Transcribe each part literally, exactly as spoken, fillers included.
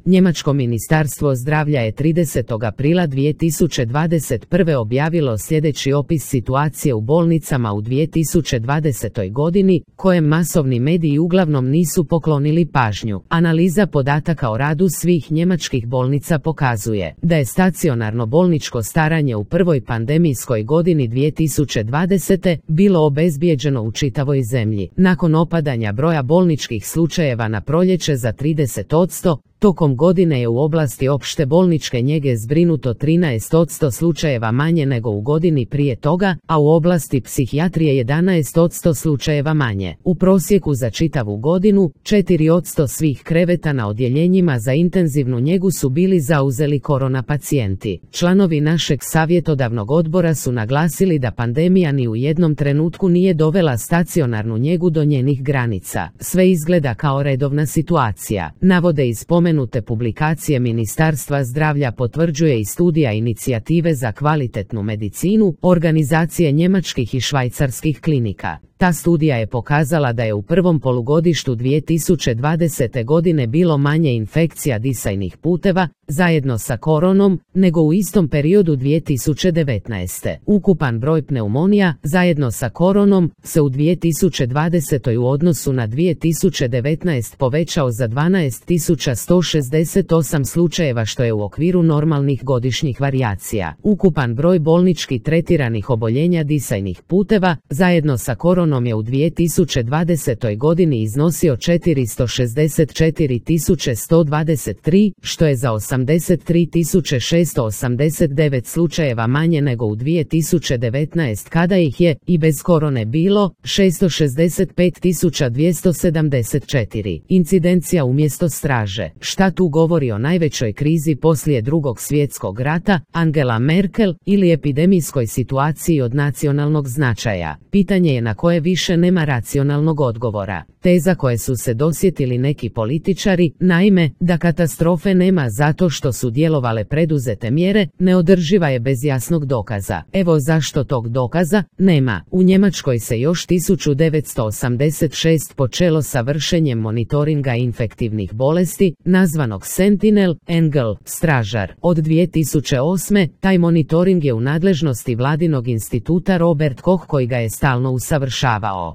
Njemačko ministarstvo zdravlja je tridesetog aprila dvije tisuće dvadeset prve objavilo sljedeći opis situacije u bolnicama u dvije tisuće dvadesetoj godini, kojem masovni mediji uglavnom nisu poklonili pažnju. Analiza podataka o radu svih njemačkih bolnica pokazuje da je stacionarno bolničko staranje u prvoj pandemijskoj godini dvije tisuće dvadesete bilo obezbijeđeno u čitavoj zemlji. Nakon opadanja broja bolničkih slučajeva na proljeće za trideset posto, tokom godine je u oblasti opšte bolničke njege zbrinuto trinaest posto slučajeva manje nego u godini prije toga, a u oblasti psihijatrije jedanaest posto slučajeva manje. U prosjeku za čitavu godinu, četiri posto svih kreveta na odjeljenjima za intenzivnu njegu su bili zauzeli korona pacijenti. Članovi našeg savjetodavnog odbora su naglasili da pandemija ni u jednom trenutku nije dovela stacionarnu njegu do njenih granica. Sve izgleda kao redovna situacija, navode iz spomenute publikacije Ministarstva zdravlja, potvrđuje i studija inicijative za kvalitetnu medicinu, organizacije njemačkih i švajcarskih klinika. Ta studija je pokazala da je u prvom polugodištu dvije tisuće dvadesete godine bilo manje infekcija disajnih puteva, zajedno sa koronom, nego u istom periodu dvije tisuće devetnaeste. Ukupan broj pneumonija, zajedno sa koronom, se u dvije tisuće dvadesetoj u odnosu na dvije tisuće devetnaeste povećao za dvanaest tisuća sto šezdeset osam slučajeva, što je u okviru normalnih godišnjih varijacija. Ukupan broj bolnički tretiranih oboljenja disajnih puteva, zajedno sa koronom, je u dvije tisuće dvadesetoj godini iznosio četiristo šezdeset četiri tisuće sto dvadeset tri, što je za osamdeset tri tisuće šesto osamdeset devet slučajeva manje nego u dvije tisuće devetnaeste kada ih je, i bez korone, bilo šesto šezdeset pet tisuća dvjesto sedamdeset četiri. Incidencija umjesto straže. Šta tu govori o najvećoj krizi poslije Drugog svjetskog rata, Angela Merkel, ili epidemijskoj situaciji od nacionalnog značaja? Pitanje je na koje više nema racionalnog odgovora. Teza koje su se dosjetili neki političari, naime, da katastrofe nema zato što su djelovale preduzete mjere, neodrživa je bez jasnog dokaza. Evo zašto tog dokaza nema. U Njemačkoj se još tisuću devetsto osamdeset šeste počelo sa vršenjem monitoringa infektivnih bolesti, nazvanog Sentinel, Engel, stražar. Od dvije tisuće osme taj monitoring je u nadležnosti vladinog instituta Robert Koch, koji ga je stalno usavršavao.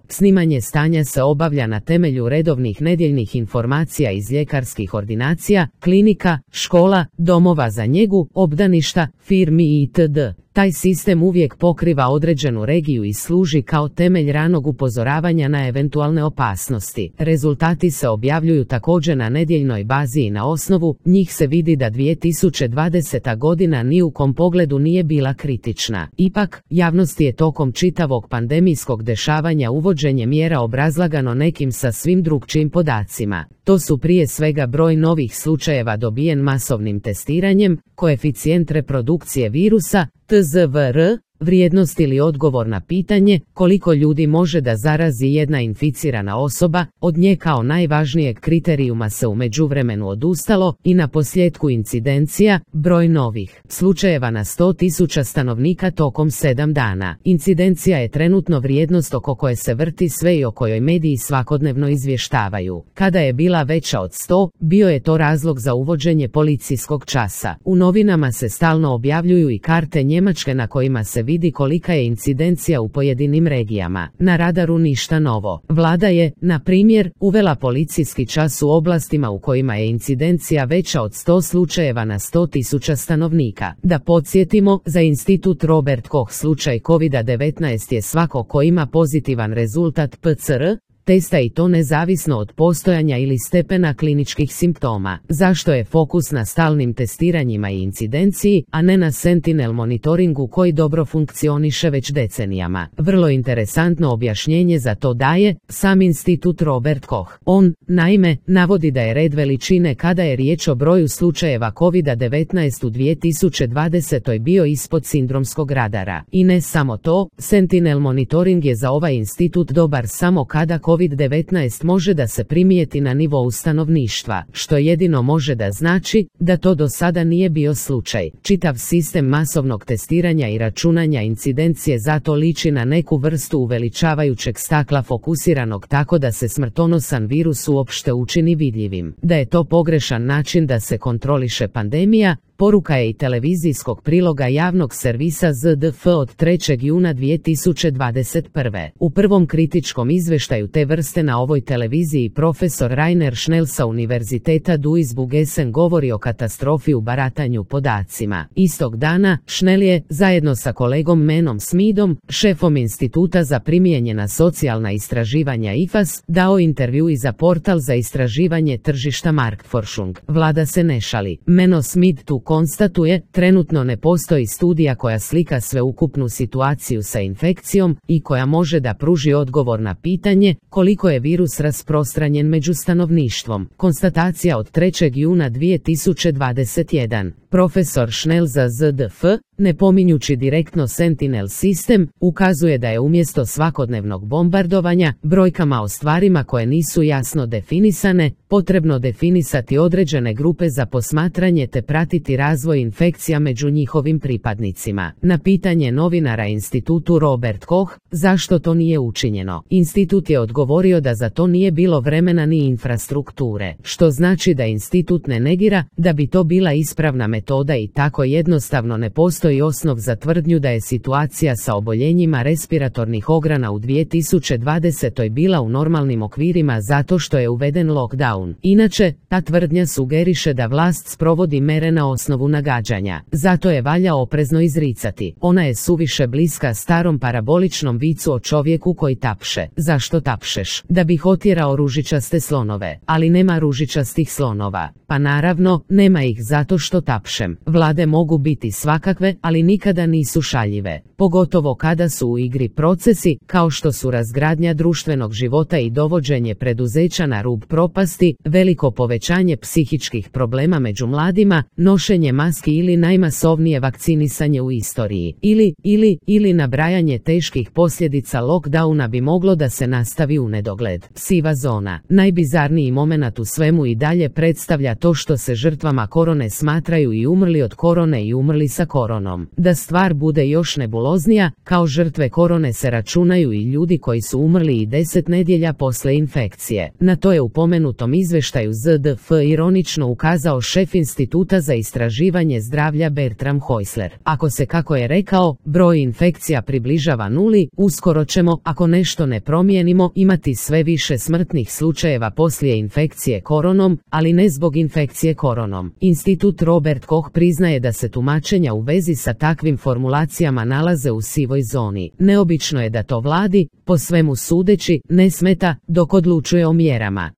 Snimanje stanja se obavlja na temelju redovnih nedjeljnih informacija iz ljekarskih ordinacija, klinika, škola, domova za njegu, obdaništa, firmi itd. Taj sistem uvijek pokriva određenu regiju i služi kao temelj ranog upozoravanja na eventualne opasnosti. Rezultati se objavljuju također na nedjeljnoj bazi i na osnovu njih se vidi da dvije tisuće dvadeseta godina ni u kom pogledu nije bila kritična. Ipak, javnosti je tokom čitavog pandemijskog dešavanja uvođenje mjera obrazlagano nekim sasvim drukčijim podacima. To su prije svega broj novih slučajeva dobijen masovnim testiranjem, koeficijent reprodukcije virusa, T Z V R, vrijednost ili odgovor na pitanje koliko ljudi može da zarazi jedna inficirana osoba, od nje kao najvažnijeg kriterijuma se u međuvremenu odustalo, i na posljedku incidencija, broj novih slučajeva na sto tisuća stanovnika tokom sedam dana. Incidencija je trenutno vrijednost oko koje se vrti sve i o kojoj mediji svakodnevno izvještavaju. Kada je bila veća od sto, bio je to razlog za uvođenje policijskog časa. U novinama se stalno objavljuju i karte Njemačke na kojima se vidi kolika je incidencija u pojedinim regijama. Na radaru ništa novo. Vlada je, na primjer, uvela policijski čas u oblastima u kojima je incidencija veća od sto slučajeva na sto tisuća stanovnika. Da podsjetimo, za institut Robert Koch slučaj kovid devetnaest je svako ko ima pozitivan rezultat P C R testa, i to nezavisno od postojanja ili stepena kliničkih simptoma. Zašto je fokus na stalnim testiranjima i incidenciji, a ne na Sentinel monitoringu koji dobro funkcioniše već decenijama? Vrlo interesantno objašnjenje za to daje sam institut Robert Koch. On, naime, navodi da je red veličine kada je riječ o broju slučajeva kovid devetnaest u dvije tisuće dvadesetoj bio ispod sindromskog radara. I ne samo to, Sentinel monitoring je za ovaj institut dobar samo kada kovid kovid devetnaest može da se primijeti na nivou stanovništva, što jedino može da znači da to do sada nije bio slučaj. Čitav sistem masovnog testiranja i računanja incidencije zato liči na neku vrstu uveličavajućeg stakla fokusiranog tako da se smrtonosan virus uopšte učini vidljivim. Da je to pogrešan način da se kontroliše pandemija, poruka je i televizijskog priloga javnog servisa Z D F od trećeg juna dvije tisuće dvadeset prve. U prvom kritičkom izveštaju te vrste na ovoj televiziji profesor Rainer Schnell sa Univerziteta Duisburg-Essen govori o katastrofi u baratanju podacima. Istog dana, Schnell je, zajedno sa kolegom Menom Smidom, šefom Instituta za primijenjena socijalna istraživanja I F A S, dao intervju i za portal za istraživanje tržišta Marktforschung. Vlada se ne šali. Meno Smid tu konstatuje, trenutno ne postoji studija koja slika sveukupnu situaciju sa infekcijom i koja može da pruži odgovor na pitanje koliko je virus rasprostranjen među stanovništvom. Konstatacija od trećeg juna dvije tisuće dvadeset prve. Profesor Schnell za Z D F, ne pominjući direktno Sentinel sistem, ukazuje da je umjesto svakodnevnog bombardovanja brojkama o stvarima koje nisu jasno definisane, potrebno definisati određene grupe za posmatranje te pratiti razvoj infekcija među njihovim pripadnicima. Na pitanje novinara institutu Robert Koch, zašto to nije učinjeno, institut je odgovorio da za to nije bilo vremena ni infrastrukture, što znači da institut ne negira da bi to bila ispravna metoda i tako jednostavno ne postoji osnov za tvrdnju da je situacija sa oboljenjima respiratornih ograna u dvije tisuće dvadesetoj bila u normalnim okvirima zato što je uveden lockdown. Inače, ta tvrdnja sugeriše da vlast sprovodi mere na osnovu nagađanja. Zato je valja oprezno izricati. Ona je suviše bliska starom paraboličnom vicu o čovjeku koji tapše. Zašto tapšeš? Da bih otjerao ružičaste slonove. Ali nema ružičastih slonova. Pa naravno, nema ih zato što tapšem. Vlade mogu biti svakakve, ali nikada nisu šaljive. Pogotovo kada su u igri procesi, kao što su razgradnja društvenog života i dovođenje preduzeća na rub propasti, veliko povećanje psihičkih problema među mladima, nošenje maski ili najmasovnije vakcinisanje u istoriji. Ili, ili, ili nabrajanje teških posljedica lockdowna bi moglo da se nastavi u nedogled. Siva zona. Najbizarniji momenat u svemu i dalje predstavlja to što se žrtvama korone smatraju i umrli od korone i umrli sa koronom. Da stvar bude još nebuloznija, kao žrtve korone se računaju i ljudi koji su umrli i deset nedjelja posle infekcije. Na to je u pomenutom izveštaju Z D F ironično ukazao šef Instituta za istraživanje zdravlja Bertram Häusler. Ako se, kako je rekao, broj infekcija približava nuli, uskoro ćemo, ako nešto ne promijenimo, imati sve više smrtnih slučajeva poslije infekcije koronom, ali ne zbog infekcije koronom. Institut Robert Koch priznaje da se tumačenja u vezi sa takvim formulacijama nalaze u sivoj zoni. Neobično je da to vladi, po svemu sudeći, ne smeta dok odlučuje o mjerama.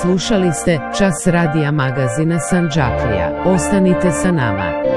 Slušali ste Čas radija magazina Sandžaklija. Ostanite sa nama.